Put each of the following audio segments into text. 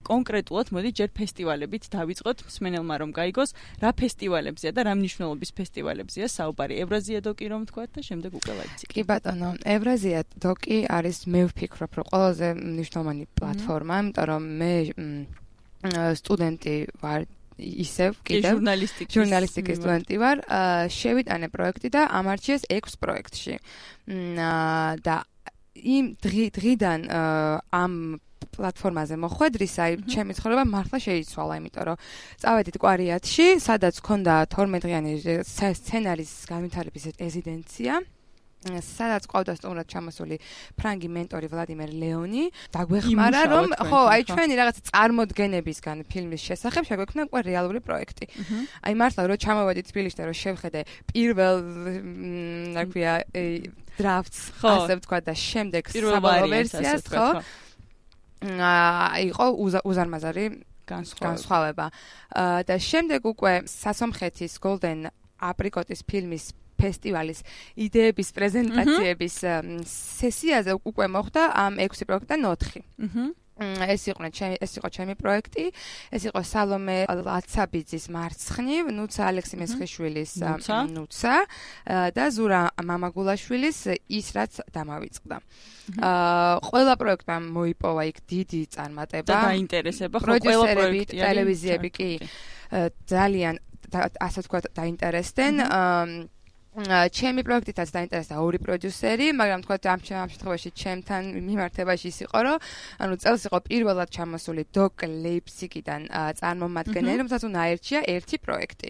კონკრეტულად მოდი ჯერ ფესტივალებით დავიწყოთ მსმენელმა რომ გაიგოს რა ფესტივალებზეა და რა მნიშვნელობის ფესტივალებზეა საუბარი. ევრაზია დოკი რომ თქვათ და შემდეგ უკვე ლაიფციგი. კი ბატონო, ევრაზია დოკი არის მე ვფიქრობ რომ ყველაზე მნიშვნელოვანი პლატფორმა, იმიტომ რომ მე სტუდენტი ვარ ისევ კიდევ ჟურნალისტიკის სტუდენტი ვარ, შევიტანე პროექტი და ამარჩიეს 6 პროექტში. და იმ დღიდან ამ პლატფორმაზე მოხვედრის, ჩემი ცხოვრება მართლა შეიცვალა, იმიტომ რომ წავედით კვარიატში, სადაც ქონდა 12 დღიანი სცენარის განვითარების რეზიდენცია. სადაც ყავდა სტუმრად ჩამოსული ფრანგი მენტორი ვლადიმერ ლეონი, დაგვეხმარა რომ ხო, ჩვენი რაღაცა წარმოდგენებისგან ფილმის შესახებ შეგვექმნა უკვე რეალური პროექტი. მართლა რომ ჩამოვედით თბილისში და რომ შევხედე პირველ რა ქვია დრაფტს, ასე ვთქვა და შემდეგ საბოლოო ვერსიას, ხო? იყო უზარმაზარი განსხვავება. და შემდეგ უკვე სასომხეთის Golden Apricot-ის ფილმის ფესტივალის იდეების პრეზენტაციების სესიაზე უკვე მოხდა ამ 6 პროექტიდან 4. ეს იყო ჩემი პროექტი, ეს იყო სალომე ლაცაბიძის მარცხნივ, ნუცა ალექსი-მესხიშვილის ნუცა და ზურა მამაგულაშვილის ის რაც დამავიწყდა. ყველა პროექტმა მოიპოვა იქ დიდი წარმატება და დაინტერესება, ხო, ყველა პროექტი ტელევიზიები კი ძალიან ასე ვთქვათ დაინტერესდნენ. ჩემი პროექტითაც დაინტერესდა 2 პროდიუსერი, მაგრამ თქვა ამ შემთხვევაში ჩემთან მიმართებაში ის იყო, რომ ანუ წელს იყო პირველად ჩამოსული დოკ ლეიპციგიდან წარმომადგენელი, რომელსაც უნდა აერჩია 1 პროექტი.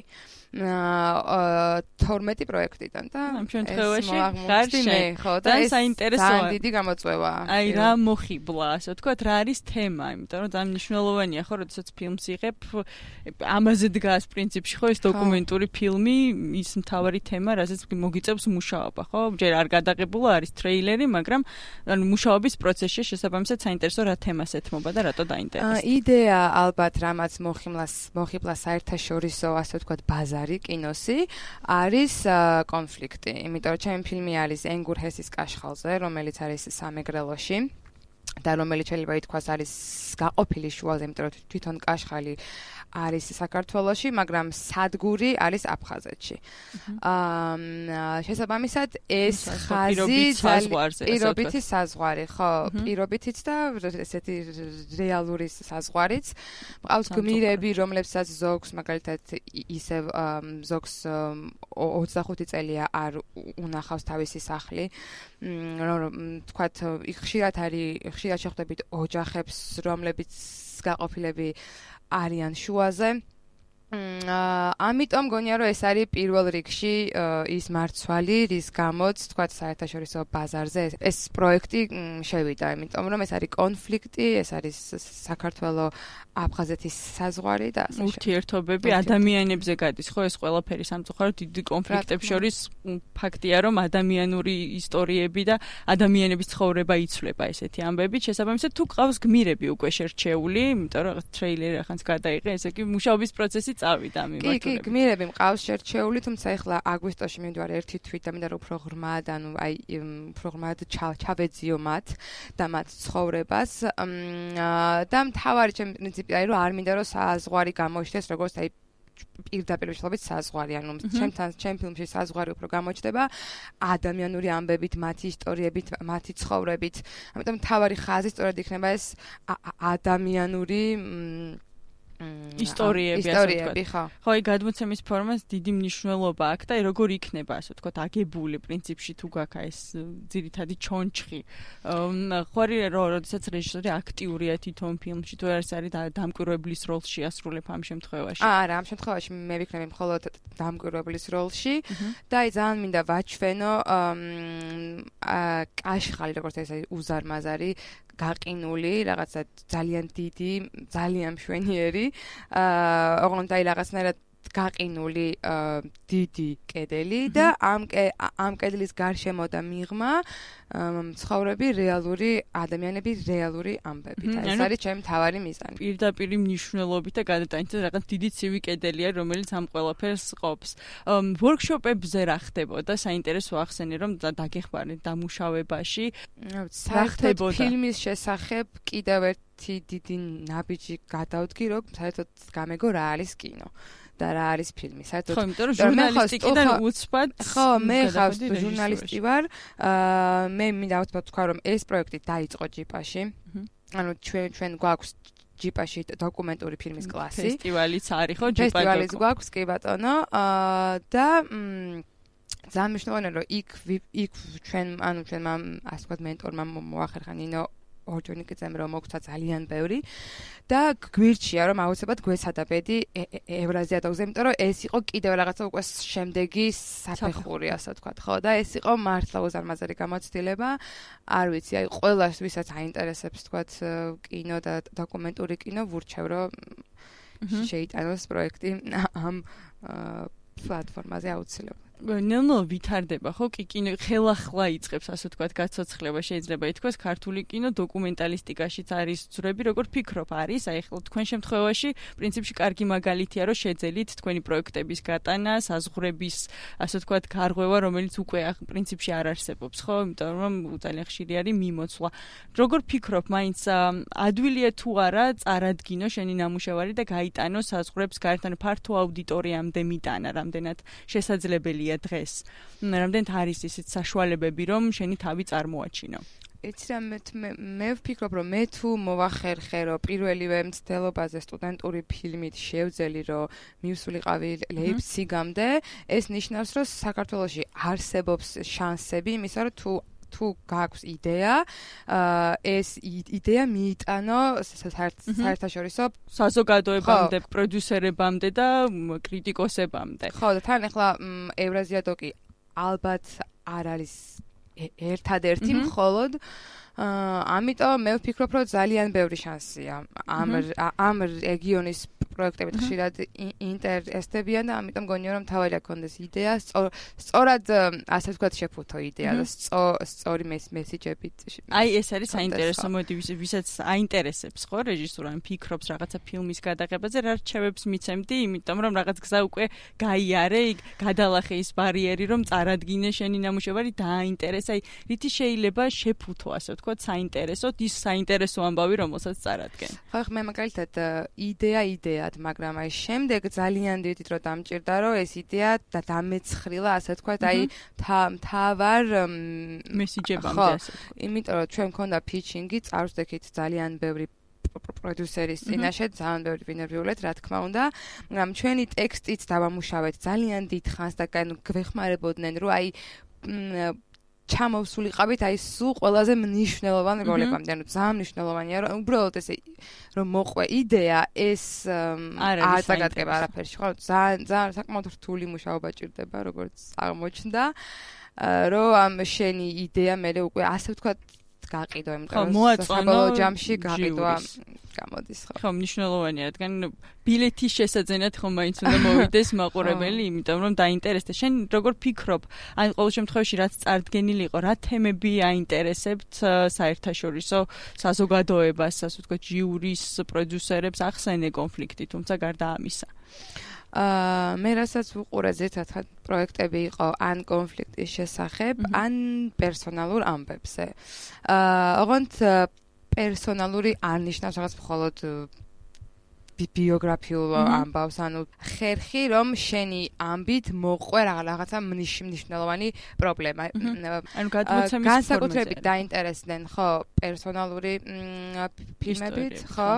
12 პროექტიდან და ამ შემთხვევაში გარშე ხო და ეს ძალიან დიდი გამოწვევა. აი რა მოხიბლა, ასე ვთქვათ, რა არის თემა, იმიტომ რომ ძალიან მნიშვნელოვანია ხო, როდესაც ფილმს იღებ, ამაზე დგას პრინციპში ხო ეს დოკუმენტური ფილმი, ის მთავარი თემა, რასაც მოგიწევს მუშაობა, ხო? ჯერ არ გადაღებულა არის ტრეილერი, მაგრამ ანუ მუშაობის პროცესში შესაბამისად საინტერესო რა თემას ეთმობა და რატო დაინტერესდა. იდეა ალბათ რამაც მოხიბლა საერთაშორისო, ასე ვთქვათ, ბაზარი კინოსი არის კონფლიქტი, იმიტომ რომ ჩემი ფილმი არის ენგურ ჰესის კაშხალზე, რომელიც არის სამეგრელოში და რომელიც შეიძლება ითქვას არის გაყოფილი შუაზე, იმიტომ რომ თვითონ კაშხალი არის საქართველოში, მაგრამ სადგური არის აფხაზეთში. შესაბამისად ეს ხაზი პირობითი საზღვარი, ხო, პირობითიც და ესეთი რეალური საზღვარიც. მყავს გმირები, რომლებსაც ზოგს მაგალითად ისევ ზოგს 25 წელია არ უნახავს თავისი სახლი. თქვათ, ხშირად შეხვდებით ოჯახებს, რომლებიც გაყოფილები არიან შუაზე. ამიტომ გონია რომ ეს არის პირველ რიგში ის მარცვალი, რის გამოც თქვათ საერთაშორისო ბაზარზე ეს პროექტი შევიდა, იმიტომ რომ ეს არის კონფლიქტი, ეს არის საქართველოს აფხაზეთის საზღვარი და ასე ურთიერთობები ადამიანებზე გადის, ხო, ეს ყველაფერი სამწუხაროდ დიდი კონფლიქტებს შორის ფაქტია, რომ ადამიანური ისტორიები და ადამიანების ცხოვრება იცვლება ესეთი ამბები. შესაბამისად, თუ ყავს გმირები უკვე შერჩეული, იმიტომ რომ ტრეილერი ახანს გადაიღე, ესე იგი მუშაობის პროცესი წავიდა მიმართულებით. კი, გმირები მყავს შერჩეული, თუმცა ახლა აგვისტოში მივდივარ ერთი თვით და მინდა რომ უფრო ღრმად, ანუ აი უფრო ღრმად ჩავეძიო მათ და მათ ცხოვრებას. და მთავარი ჩემი პრინციპი არის რომ არ მინდა რომ საზღვარი გამოჩნდეს როგორც აი პირდაპირ შეხებით საზღვარი, ანუ ჩემ ფილმში საზღვარი უფრო გამოჩნდება ადამიანური ამბებით, მათი ისტორიებით, მათი ცხოვრებით. ამიტომ მთავარი ხაზი სწორედ იქნება ეს ადამიანური ისტორიები, ხო. ხო, აი გადმოცემის ფორმას დიდი მნიშვნელობა აქვს და როგორ იქნება, ასე ვთქვათ, აგებული პრინციპში თუ გაქვს ეს ძირითადი ჩონჩხი. ხო, როდესაც რეჟისორი აქტიურია თვითონ ფილმში, თუ არის დამკვირვებლის როლში ასრულებ ამ შემთხვევაში. არა, ამ შემთხვევაში მე ვიქნები მხოლოდ დამკვირვებლის როლში და აი ძალიან მინდა ვაჩვენო კაშხალი, როგორც ეს უზარმაზარი გაყინული, რაღაცა ძალიან დიდი, ძალიან მშვენიერი, ოღონდ აი რაღაცნაირად გაყინული დიდი კედელი და ამ კედლის გარშემო და მიღმა ცხოვრები რეალური ადამიანები, რეალური ამბები. და ეს არის ჩემი მთავარი მიზანი. პირდაპირ მნიშვნელობით და გადატანით რაღაც დიდი ცივი კედელია, რომელიც ამ ყველაფერს ყოფს. ვორქშოპებზე რა ხდებოდა? საინტერესო ახსენე რომ დაგეხმარეთ დამუშავებაში. საერთოდ ფილმის შესახებ კიდევ ერთ ერთი დიდი ნაბიჯი გადავდგი, რომ საერთოდ გამეგო რა არის კინო და რა არის ფილმი. საერთოდ ხო, იმიტომ რომ ჟურნალისტიკიდან უცბად ხო, მე ხარ ჟურნალისტი ვარ. მე მინდა ვთქვა, რომ ეს პროექტი დაიწყო ჯიპაში. ანუ ჩვენ გვაქვს ჯიპაში დოკუმენტური ფილმის კლასი. ფესტივალიც არის ხო ჯიპა? ფესტივალიც გვაქვს, კი ბატონო. და ძალიან მნიშვნელოვანია, რომ იქ ჩვენ ასე ვთქვათ მენტორმა მოახერხა ნინო ორჯონიკიძემ რომ მოგცა ძალიან ბევრი და გვირჩია რომ აუცილებლად გვეცადა ბედი ევრაზიატოგზე, იმიტომ რომ ეს იყო კიდევ რაღაცა უკვე შემდეგი საფეხური, ასე ვთქვათ, ხო და ეს იყო მართლა უზარმაზარი გამოცდილება. არ ვიცი, აი ყველას ვისაც აინტერესებს ვთქვათ კინო და დოკუმენტური კინო, ვურჩევ რომ შეიტანოს პროექტი ამ პლატფორმაზე აუცილებლად. ნელ-ნელა ვითარდება ხო კინო ხელახლა იწყებს ასე ვთქვათ გაცოცხლება შეიძლება ითქვას ქართული კინო დოკუმენტალისტიკაშიც არის ძრები როგორ ფიქრობ არის აი ხო თქვენ შემთხვევაში პრინციპში კარგი მაგალითია რომ შეძელით თქვენი პროექტების გატანა საზღვრების ასე ვთქვათ გარღვევა რომელიც უკვე პრინციპში არ არსებობს ხო იმიტომ რომ ძალიან ხშირი არის მიმოცვლა როგორ ფიქრობ მაინც ადვილია თუ არა წარადგინო შენი ნამუშევარი და გაიტანო საზღვრებს გარეთ ანუ ფართო აუდიტორიამდე მიტანა რამდენად შესაძლებელია დღეს. რამდენად არის ისეთ საშუალებები, რომ შენი თავი წარმოაჩინო? იცი რა მე ვფიქრობ, რომ მე თუ მოვახერხე, რომ პირველივე მცდელობაზე სტუდენტური ფილმით შევძელი, რომ მივსულიყავი ლეიფციგამდე, ეს ნიშნავს, რომ საქართველოში არსებობს შანსები, იმისა, რომ თუ გაქვს იდეა, ეს იდეა მიიტანო საერთაშორისო საზოგადოებამდე, პროდიუსერებამდე და კრიტიკოსებამდე. ხო, და თან ახლა ევრაზიატოკი ალბათ არ არის ერთადერთი მხოლოდ ამიტომ მე ვფიქრობ, რომ ძალიან ბევრი შანსია ამ რეგიონის პროექტებით ხშირად ინტერესდებიან და ამიტომ გონია რომ თავარია კონდეს იდეა სწორად ასე ვთქვათ შეფუთო იდეა და სწორი მესიჯებით აი ეს არის საინტერესო მოდი ვისაც აინტერესებს ხო რეჟისურა ან ფიქრობს რაღაცა ფილმის გადაღებაზე რა რჩევებს მიცემდი იმიტომ რომ რაღაც გზა უკვე გაიარე გადალახე ის ბარიერი რომ წარადგინე შენი ნამუშევარი დააინტერესა აი რითი შეიძლება შეფუთო ასე ვთქვათ საინტერესოდ ის საინტერესო ამბავი რომელსაც წარადგენ ხო მე მაგალითად იდეა მაგრამ აი შემდეგ ძალიან დიდი დრო დამჭირდა რომ ეს იდეა და დამეცხრილა ასე ვთქვათ აი თავარ მესიჯებამდე ასე იმიტომ რომ ჩვენ მქონდა ფიჩინგი წარვსდექით ძალიან ბევრი პროდიუსერის წინაშე ძალიან ბევრი ვინერვიულეთ რა თქმა უნდა მაგრამ ჩვენი ტექსტიც დავამუშავეთ ძალიან დიდ ხანს და გვეხმარებოდნენ რომ აი ჩამოვსულიყავით აი სულ ყველაზე მნიშვნელოვან როლებამდე, ანუ ძალიან მნიშვნელოვანია რომ უბრალოდ ესე რომ მოყვე იდეა ეს არ წაგატკება არაფერში, ხო? ძალიან საკმაოდ რთული მუშაობა ჭირდება, როგორც აღმოჩნდა, რომ ამ შენი იდეა მე უკვე ასე ვთქვათ გაყიდო, იმიტომ რომ საბოლოო ჯამში გაყიდვა გამოდის, ხო? ხო, მნიშვნელოვანია, რადგან ბილეთის შესაძენად ხომ მაინც უნდა მოვიდეს მაყურებელი, იმიტომ რომ დაინტერესდა. შენ როგორ ფიქრობ? ან ყოველ შემთხვევაში რაც წარდგენილი იყო, რა თემები აინტერესებთ საერთაშორისო საზოგადოებას, ასე ვთქვათ, ჟიურის პროდიუსერებს ახსენე კონფლიქტი, თუმცა გარდა ამისა. მე რასაც ვუყურე ზეცად პროექტები იყო ან კონფლიქტის შესახებ, ან პერსონალურ ამბებზე. ოღონდ პერსონალური არ ნიშნავს რაღაც მხოლოდ ბიოგრაფიულ ამბავს, ანუ ხერხი რომ შენი ამბით მოყვე რაღაცა მნიშვნელოვანი პრობლემა. ანუ გადმოცემის განსაკუთრებით დაინტერესდნენ, ხო, პერსონალური ფილმებით, ხო?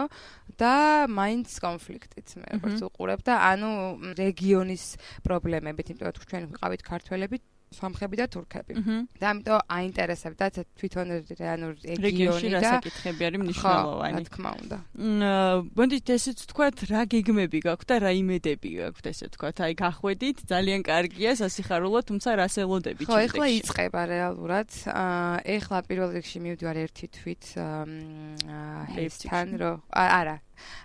და მაინც კონფლიქტით მე როგორც უყურებ და ანუ რეგიონის პრობლემებით, იმიტომ რომ ჩვენ ვიყავით ქართველები სომხები და თურქები. და ამიტომ აინტერესებდა თვითონ ანუ რეგიონი და საკითხები არის მნიშვნელოვანი. რა თქმა უნდა. მოდით ესეც ვთქვათ, რა გეგმები გაქვთ და რა იმედები გაქვთ ესე ვთქვათ. აი გახვედით, ძალიან კარგია, სასიხარულო, თუმცა რას ელოდებით ხო, ეხლა იწყება რეალურად. ეხლა პირველ რიგში მივდივარ ერთი თვით ჰესთან რომ არა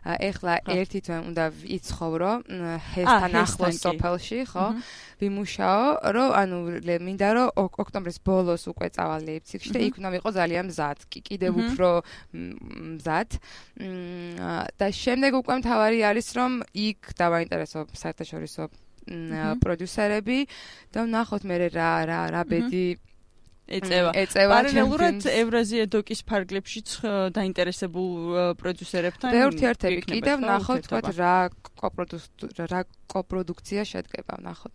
ეხლა ერთი თვე უნდა იცხოვრო ჰესთან ახლოს სოფელში, ხო? ვიმუშაო, რომ ანუ მინდა რომ ოქტომბრის ბოლოს უკვე წავალ ლეიფციგში და იქ უნდა ვიყო ძალიან მზად, კიდევ უფრო მზად. და შემდეგ უკვე მთავარი არის რომ იქ დავაინტერესო საერთაშორისო პროდიუსერები და ვნახოთ მე რა ბედი ეწევა. პარალელურად ევრაზია დოკის ფარგლებშიც დაინტერესებულ პროდიუსერებთან ბევრი ერთები კიდევ ნახოთ, თქვათ რა კოპროდუქცია შედგება, ნახოთ.